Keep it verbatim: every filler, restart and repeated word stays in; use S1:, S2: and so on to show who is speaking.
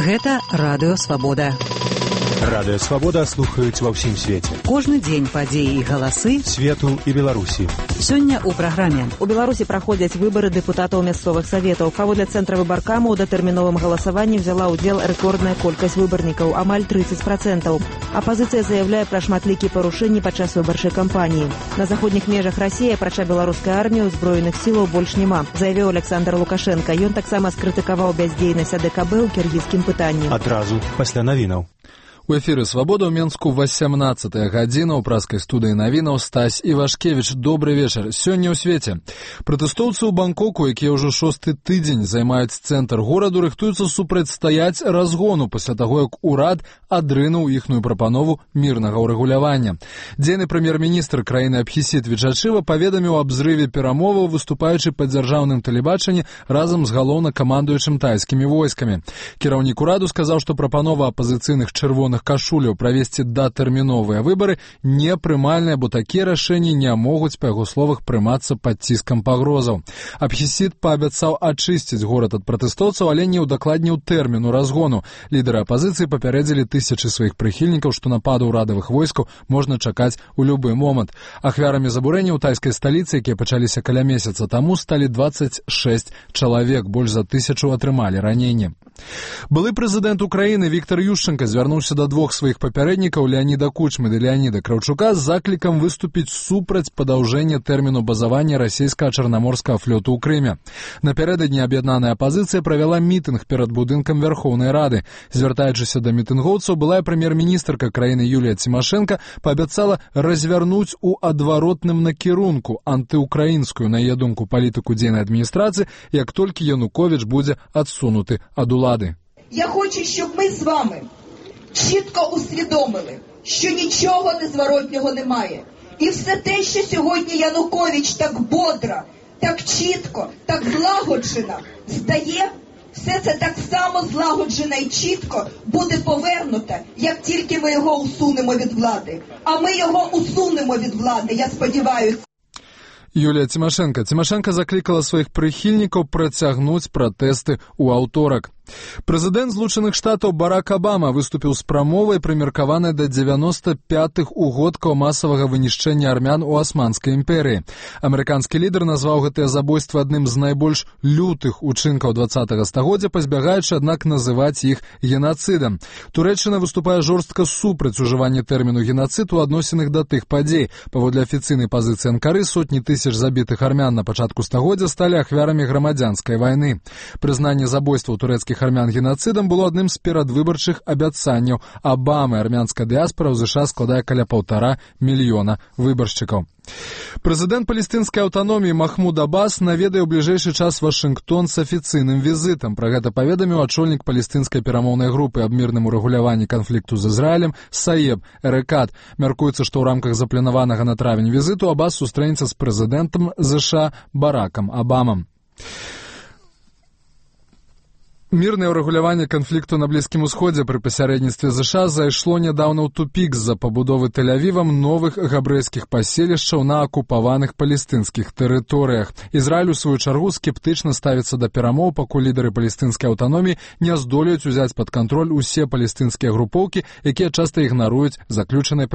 S1: Гэта Радыё Свабода.
S2: Радыё Свабода слухаюць ва ўсім свеце.
S1: Кожны дзень падзеі і галасы
S2: свету і Беларусі.
S1: Сёння ў праграме. У Беларусі праходзяць выбары дэпутатаў мясцовых саветаў. Паводле цэнтра выбаркаму ў датэрміновым галасаванні взяла ўдзел рэкордная колькасць выбарнікаў, амаль трыццаць працэнтаў. Апазіцыя заяўляе пра шматлікія парушэнні падчас выбарчай кампаніі. На заходніх межах Расіі, апрача беларускай арміі, узброеных сілаў больш няма, заявіў Александр Лукашенко. Ён таксама скрытыкаваў бяздзейнасць А Дэ Ка Бэ ў кіргізскім пытанні.
S2: Адразу пасля навінаў.
S3: У эфіры «Свабода» ў Менску васямнаццатая гадзіна ў праскай студыі навінаў Стась Івашкевіч. Добры вечар. Сёння ў свеце. Пратэстоўцы ў Бангкоку, якія ўжо шосты тыдзень займаюць цэнтр гораду, рыхтуюцца супрацьстаяць разгону пасля таго, як урад адрынуў іхную прапанову мірнага ўрэгулявання. Дзейны прэм'ер-міністр краіны Абхісіт Вічачыва паведаміў аб зрыве перамоваў, выступаючы па дзяржаўным тэлебачанні разам з галоўнакамандуючым тайскімі войскамі. Кіраўнік ураду сказаў, што прапанова апазіцыйных чырвоных кашуляў правесці датэрміновыя выбары непрымальныя, бо такія рашэнні не могуць, па яго словах, прымацца пад ціскам пагрозаў. Абхісіт паабяцаў ачысціць горад ад пратэстоўцаў, але не ўдакладніў тэрміну разгону. Лідары апазіцыі папярэдзілі тысячы сваіх прыхільнікаў, што нападу ўрадавых войскаў можна чакаць у любы момант. Ахвярамі забурэння ў тайскай сталіцы, якія пачаліся каля месяца таму, сталі дваццаць шэсць чалавек, больш за тысячу атрымалі раненні. Былы прэзідэнт Украіны Віктар Ющэнка звярнуўся да двух сваіх папярэднікаў Леаніда Кучмы ды Леаніда Краўчука з заклікам выступіць супраць падаўжэння тэрміну базавання расійскага чарнаморскага флоту ў Крыме. Напярэдадні аб'яднаная апазіцыя правяла мітынг перад будынкам Вярхоўнай Рады. Звяртаючыся да мітынгоўцаў, былая прэм'ер-міністрка краіны Юлія Цімашэнка паабяцала развярнуць у адваротным накірунку антыукраінскую, на яе думку, палітыку дзейнай адміністрацыі, як толькі Януковіч будзе адсунуты ад улади.
S4: Я хочу, щоб ми з вами чітко усвідомили, що нічого незворотнього немає. І все те, що сьогодні Янукович так бодро, так чітко, так злагоджено здає, все це так само злагоджено і чітко буде повернуто, як тільки ми його усунемо від влади. А ми його усунемо від влади, я сподіваюся.
S3: Юлія Цімашэнка. Цімашэнка заклікала сваіх прыхільнікаў працягнуць пратэсты ў аўторак. Прэзідэнт Злучаных Штатаў Барак Абама выступіў з прамовай, прымеркаванай да дзевяноста пятых угодкаў масавага вынішчэння армян у Асманскай імперыі. Амерыканскі лідар назваў гэтыя забойствы адным з найбольш лютых учынкаў дваццатага стагоддзя, пазбягаючы, аднак, называць іх генацыдам. Турэччына выступае жорстка супраць ужывання тэрміну генацыд у адносінах да тых падзей. Паводле афіцыйнай пазіцыі Анкары, сотні тысяч забітых армян на пачатку стагоддзя сталі ахвярамі грамадзянскай вайны. Прызнанне забойстваў турэцкіх армян генацыдам было адным з перадвыбарчых абяцанняў Абамы. Армянская дыяспара ў ЗША складае каля паўтара мільёна выбаршчыкаў. Прэзідэнт палестынскай аўтаноміі Махмуд Аббас наведае ў бліжэйшы час Вашынгтон з афіцыйным візітам. Пра гэта паведаміў ачольнік палестынскай перамоўнай групы аб мірным урэгуляванні канфлікту з Ізраілем Саеб Эрекат. Мяркуецца, што ў рамках запланаванага на травень візіту Аббас сустрэнецца з прэзідэнтам ЗША Баракам Абамам. Мірнае ўрэгуляванне канфлікту на Блізкім Усходзе пры пасярэдніцтве ЗША зайшло нядаўна ў тупік з-за пабудовы Тель-Авівам новых габрэйскіх паселішчаў на акупаваных палестынскіх тэрыторыях. Ізраіль, у сваю чаргу, скептычна ставіцца да перамоў, пакуль лідары палестынскай аўтаноміі не здолеюць узяць пад кантроль усе палестынскія групоўкі, якія часта ігнаруюць заключаныя